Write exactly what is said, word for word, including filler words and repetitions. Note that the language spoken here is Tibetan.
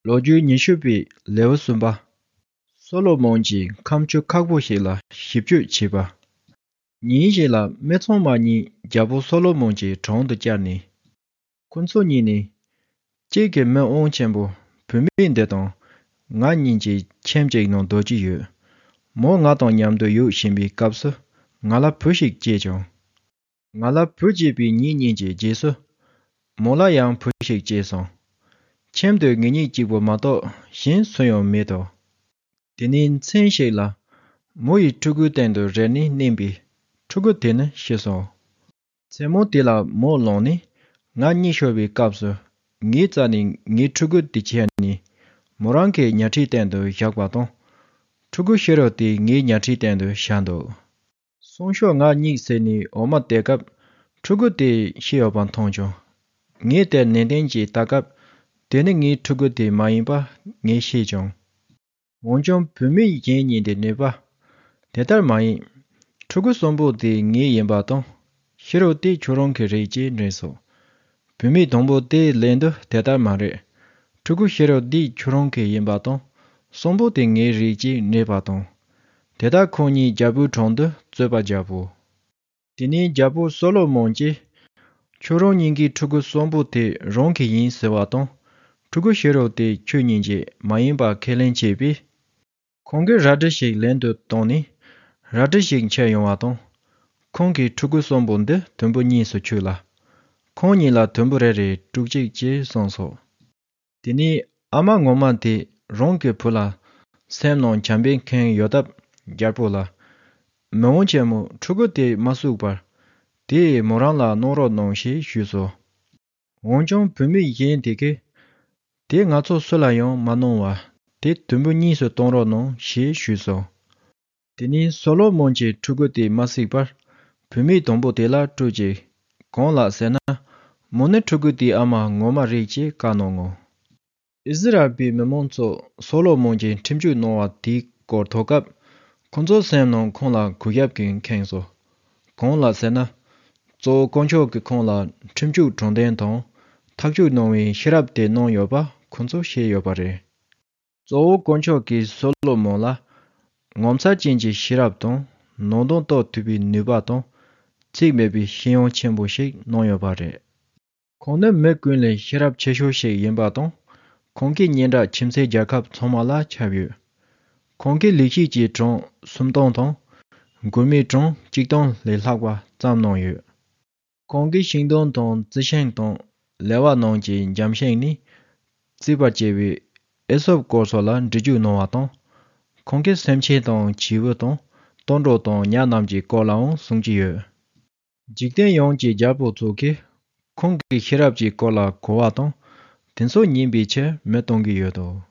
ལོ་རྒྱུས་ཉི་ཤུ་པའི་ལེའུ་གསུམ་པ། སོ་ལོ་མོན་གྱིས་ཁ་མཆུ་ཁག་པོ་ཞིག་ལ་ཞིབ་དཔྱོད་བྱས་པ། ཉིན་ཞིག་ལ་མི་ཚང་མ་གཉིད་རྒྱལ་པོ་སོ་ལོ་མོན་གྱི་དྲུང་དུ་བཅར་ནས། ཁོ་ཚོ་གཉིས་ནས། ཁྱེད་ཀྱི་མི་དབང་ཆེན་པོ་བུད་མེད་འདི་དང་ང་གཉིས་ཀྱི་ཁྱིམ་གཅིག་ནང་སྡོད་ཀྱི་ཡོད། མོ་ང་དང་མཉམ་དུ་ཡོད་བཞིན་པའི་སྐབས་སུ་ང་ལ་བུ་ཞིག་སྐྱེས་བྱུང་། ང་ལ་བུ་སྐྱེས་པའི་ཉིན་གཉིས་ཀྱི་རྗེས་སུ། མོ་ལ་ཡང་བུ་ཞིག་སྐྱེས་སོང་། ཁྱིམ་དུ་ངེད་གཉིས་གཅིག་པུ་མ་གཏོགས་གཞན་སུ་ཡང་མེད་དོ། དེ་ནས་མཚན་ཞིག་ལ། མོ་ཡི་ཕྲུ་གུའི་སྟེང་དུ་རལ་གྲི་མནན་པས་ཕྲུ་གུ་དེ་ནི་ཤི་སོང་། མཚན་མོ་དེ་ལ་མོ་ལངས་ནས་ང་གཉིད་ཤོར་བའི་སྐབས་སུ་ངའི་རྩ་ནས་ངའི་ཕྲུ་གུ་དེ་ཁྱེར་ནས་མོ་རང་གི་ཉལ་ཁྲིའི་སྟེང་དུ་བཞག་པ་དང་། ཕྲུ་གུ་ཤི་རོ་དེ་ངའི་ཉལ་ཁྲིའི་སྟེང་དུ་བཞག་འདུག་སང་ཞོགས་ང་གཉིད་སད་ནས་འོ་མ་བལྟས་སྐབས་ཕྲུ་གུ་དེ་ཤི་ཡོད་པ་མཐོང་བྱུང་། ངས་དེར་ནན་ཏན་གྱིས་ལྟ་སྐབས་དེ་ནི་ངའི་ཕྲུ་གུ་དེ་མ་ཡིན་པ་ངས་ཤེས་བྱུང་། འོན་ཀྱང་བུད་མེད་གཞན་གཉིས་དེ་ནུས་པ། དེ་ལྟར་མ་ཡིན། ཕྲུ་གུ་གསུམ་པོ་དེ་ངའི་ཡིན་པ་དང་། ཤི་རོ་དེ་ཁྱོད་རང་གི་རེད་ཅེས་དྲིས་སོ། བུད་མེད་དང་པོ་དེའི་ལན་དུ་དེ་ལྟར་མ་རེད། ཕྲུ་གུ་ཤི་རོ་འདི་ཁྱོད་རང་གི་ཡིན་པ་དང་། གསུམ་པོ་དེ་ངའི་རེད་ཅེས་སྨྲས་པ་དང་། དེ་ལྟར་ཁོང་གཉིས་རྒྱལ་པོའི་དྲུང་དུ་རྩོད་པ་བརྒྱབ་བོ། དེ་ནས་རྒྱལ་པོ་སོ་ལོ་མོན་གྱིས། ཁྱོད་རང་གཉིས་ཀྱི་ཕྲུ་གུ་གསུམ་པོ་དེ་རང་གི་ཡིན་ཟེར་བ་དང་། ཕྲུ་གུ་ཤི་རོ་དེ་ཁྱོད་གཉིས་ཀྱི་མ་ཡིན་པ་ཁས་ལེན་བྱས་པས། ཁོང་གིས་རལ་གྲི་ཞིག་ལེན་དུ་བཏང་ནས། རལ་གྲི་ཞིག་འཁྱེར་ཡོང་བ་དང་། ཁོང་གིས་ཕྲུ་གུ་གསུམ་པོ་འདི་དུམ་བུ་གཉིས་སུ་ཕྱེས་ལ། ཁོང་གཉིས་ལ་དུམ་བུ་རེ་རེ་དཀྲུག་གཅིག་ཅེས་གསུངས་སོ། དེ་ནས་ཨ་མ་ངོ་མ་དེས་རང་གི་བུ་ལ་སེམས་ནང་བྱམས་པའི་ཁེངས་ཡོད་སྟབས་རྒྱལ་པོ་ལ། མི་དབང་ཆེན་མོ་ཕྲུ་གུ་དེ་མ་གསོས་པར། དེས་མོ་རང་ལ་གནང་རོགས་གནང་ཞེས་ཞུས་སོ། འོན་ཀྱང་བུད་མེད་གཞན་དེ་གིས། དེ་ང་ཚོ་སུ་ལ་ཡང་མ་གནང་བར་དེ་དུམ་བུ་གཉིས་སུ་གཏོང་རོགས་གནང་ཞེས་ཞུས་སོ། དེ་ནས་སོ་ལོ་མོན་གྱིས་ཕྲུ་གུ་དེ་མ་གསོས་པར་བུད་མེད་དང་པོ་དེ་ལ་སྤྲོད་ཅིག་གང་ལགས་ཟེར་ན། མོ་ནི་ཕྲུ་གུ་དེའི་ཨ་མ་ངོ་མ་རེད་ཅེས་བཀའ་གནང་ངོ་། ཨིསི་རཱཨེལ་པའི་མི་མང་ཚོ་སོ་ལོ་མོན་གྱིས་ཁྲིམས་གཅོད་གནང་བ་དེའི་སྐོར་ཐོས་སྐབས། ཁོ་ཚོའི་སེམས་ནང་ཁོང་ལ་གུས་ཞབས་ཀྱིས་ཁེངས་སོ། གང་ལགས་ཟེར་ན། གཙོ་བོ་དཀོན་མཆོག་གིས་ཁོང་ལ་ཁྲིམས་གཅོད་དྲང་བདེན་དང་ཐག་གཅོད་གནང་བའི་ཤེས་རབ་དེ་གནང་ཡོད་པ་ཁོ་ཚོས་ཤེས་ཡོད་པ་རེད། གཙོ་བོ་དཀོན་མཆོག་གིས་སོ་ལོ་མོན་ལ་ངོ་མཚར་ཅན་གྱི་ཤེས་རབ་དང་ནང་དོན་རྟོགས་ཐུབ་པའི་ནུས་པ་དང་ཚེགས་མེད་པའི་ཤེས་ཡོན་ཆེན་པོ་ཞིག་གནང་ཡོད་པ་རེད། ཁོང་ནི་མི་ཀུན་ལས་ཤེས་རབ་ཆེ་ཤོས་ཤིག་ཡིན་པ་དང་། ཁོང་གི་སྙན་གྲགས་ཁྱིམ་མཚེས་རྒྱལ་ཁབ་ཚང་མ་ལ་ཁྱབ་ཡོད། ཁོང་གིས་ལེགས་བཤད་ཀྱི་གྲངས་སུམ་སྟོང་དང་། མགུར་མའི་གྲངས་གཅིག་སྟོང་ལས་ལྷག་པ་བརྩམས་གནང་ཡོད། ཁོང་གིས་ཤིང་སྡོང་དང་རྩི་ཤིང་དང་ལེ་བ་ནང་གི་འཇམ་ཤིང་ནས་བརྩིགས་པར་བྱས་པའི་ཨེ་སོབ་སྐོར་སོགས་ལ་འགྲེལ་བརྗོད་གནང་བ་དང་། ཁོང་གིས་སེམས་ཅན་དང་བྱིའུ་དང་སྟོན་འབྲུ་དང་ཉ་རྣམས་ཀྱི་སྐོར་ལའང་གསུང་གི་ཡོད། འཇིག་རྟེན་ཡོངས་ཀྱི་རྒྱལ་པོ་ཚོ་གིས་ཁོང་གི་ཤེས་རབ་ཀྱི་སྐོར་ལ་གོ་བ་དང་དེ་ཚོ་ཉན་པའི་ཕྱིར་མི་གཏོང་གི་ཡོད་དོ།